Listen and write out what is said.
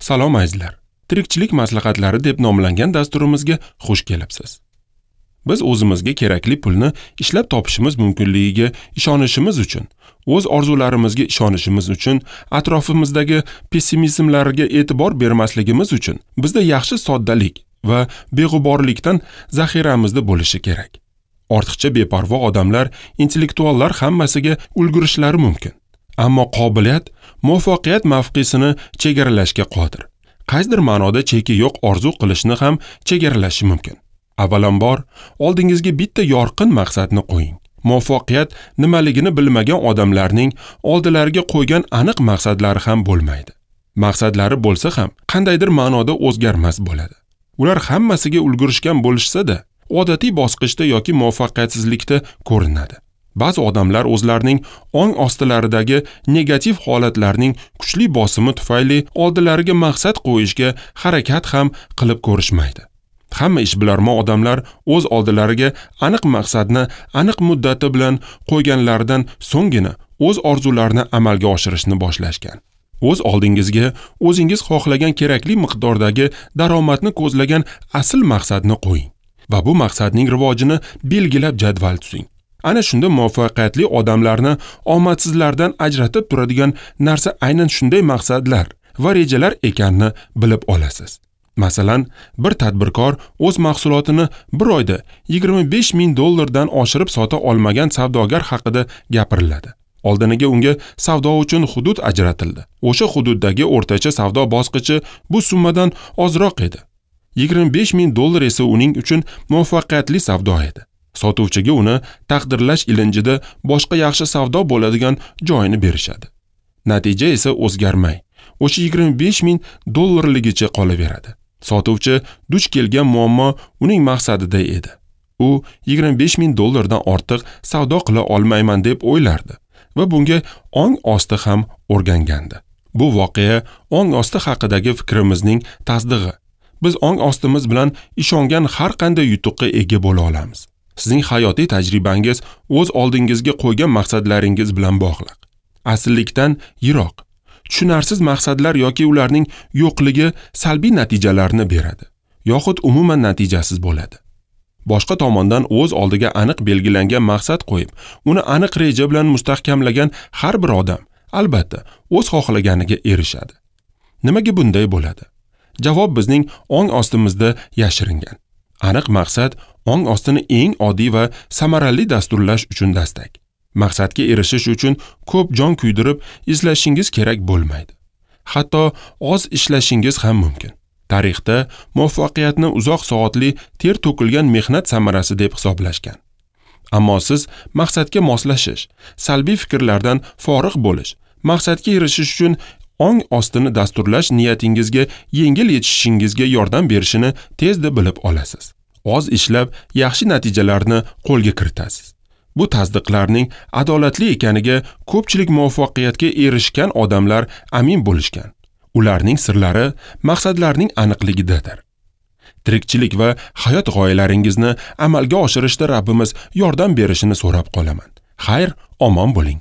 Salom azizlar. Tirikchilik maslahatlari deb nomlangan dasturimizga xush kelibsiz. Biz o'zimizga kerakli pulni ishlab topishimiz mumkinligiga ishonishimiz uchun, o'z orzularimizga ishonishimiz uchun, atrofimizdagi pessimizmlarga e'tibor bermasligimiz uchun bizda yaxshi soddalik va beg'uborlikdan zaxiramizda bo'lishi kerak. Ortiqcha beparvo odamlar, intellektuallar hammasiga ulgurishlari mumkin. Ammo qobiliyat muvaffaqiyat mavqesini chegaralashga qodir. Qaysidir ma'noda cheki yo'q orzu qilishni ham chegaralashi mumkin. Avvalambor, oldingizga bitta yorqin maqsadni qo'ying. Muvaffaqiyat nimaligini bilmagan odamlarning oldilariga qo'ygan aniq maqsadlari ham bo'lmaydi. Maqsadlari bo'lsa ham qandaydir ma'noda o'zgarmas bo'ladi. Ular hammasiga ulgurishgan bo'lishsa-da, odatiy bosqichda yoki muvaffaqiyatsizlikda ko'rinadi. Ba'zi odamlar o'zlarining ong ostilaridagi negativ holatlarning kuchli bosimi tufayli oldilariga maqsad qo'yishga harakat ham qilib ko'rishmaydi. Hamma ishbilarmon odamlar o'z oldilariga aniq maqsadni aniq muddati bilan qo'yganlaridan so'nggina o'z orzularini amalga oshirishni boshlashgan. O'z oldingizga o'zingiz xohlagan kerakli miqdordagi daromadni ko'zlagan asl maqsadni qo'ying va bu maqsadning rivojini belgilab jadval tuzing. Ana shunda muvaffaqiyatli odamlarni omadsizlardan ajratib turadigan narsa aynan shunday maqsadlar va rejalar ekanini bilib olasiz. Masalan, bir tadbirkor o'z mahsulotini bir oyda $25,000 dan oshirib sota olmagan savdogar haqida gapiriladi. Oldiniga unga savdo uchun hudud ajratildi. O'sha hududdagi o'rtacha savdo bosqichi bu summadan ozroq edi. $25,000 esa uning uchun muvaffaqiyatli savdo edi. Sotuvchiga uni taqdirlash ilinjida boshqa yaxshi savdo bo'ladigan joyini berishadi. Natija esa o'zgarmay, o'sha $25,000 qolaveradi. Sotuvchi duch kelgan muammo uning maqsadida edi. U $25,000 dan ortiq savdo qila olmayman deb o'ylardi va bunga ong osti ham o'rgangandi. Bu voqea ong osti haqidagi fikrimizning tasdig'i. Biz ong ostimiz bilan ishongan har qanday yutuqqa ega bo'la olamiz. Sizning hayotiy tajribangiz o'z oldingizga qo'ygan maqsadlaringiz bilan bog'liq. Asllikdan yiroq, tushunarsiz maqsadlar yoki ularning yo'qligi salbiy natijalarni beradi, yoxud umuman natijasiz bo'ladi. Boshqa tomondan o'z oldiga aniq belgilangan maqsad qo'yib, uni aniq reja bilan mustahkamlagan har bir odam albatta o'z xohlaganiga erishadi. Nimaga bunday bo'ladi? Javob bizning ong ostimizda yashiringan. Aniq maqsad ong ostini eng oddiy va samarali dasturlash uchun dastak. Maqsadga erishish uchun ko'p jon kuydirib izlashingiz kerak bo'lmaydi. Hatto oz ishlashingiz ham mumkin. Tarixda muvaffaqiyatni uzoq soatli ter to'kilgan mehnat samarasi deb hisoblashgan. Ammo siz maqsadga moslashish, salbiy fikrlardan forig' bo'lish, maqsadga erishish uchun ong ostini dasturlash niyatingizga yengil yetishishingizga yordam berishini tezda bilib olasiz. Oz ishlab yaxshi natijalarni qo'lga kiritasiz. Bu tasdiqlarning adolatli ekaniga ko'pchilik muvaffaqiyatga erishgan odamlar amin bo'lishgan. Ularning sirlari maqsadlarning aniqligidadir. Tirikchilik va hayot g'oyalaringizni amalga oshirishda Rabbimiz yordam berishini so'rab qolaman. Xayr, omon bo'ling.